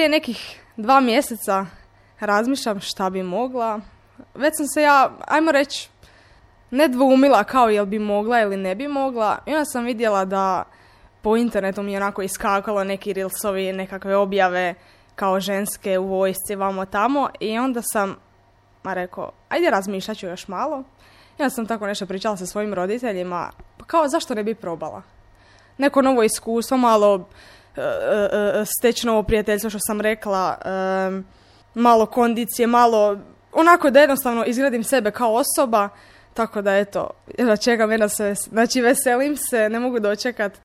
prije nekih 2 mjeseca razmišljam šta bi mogla. Već sam se ja, ajmo reći, ne dvoumila kao jel bi mogla ili ne bi mogla. I onda sam vidjela da po internetu mi je onako iskakalo neki reelsovi, nekakve objave kao ženske u vojsci, vamo tamo. I onda sam rekao, ajde razmišljat ću još malo. I onda sam tako nešto pričala sa svojim roditeljima. Pa kao, zašto ne bi probala? Neko novo iskustvo, malo steći novo prijateljstvo, što sam rekla, malo kondicije, malo onako da jednostavno izgradim sebe kao osoba. Tako da eto, čekam jedna se, znači veselim se, ne mogu dočekat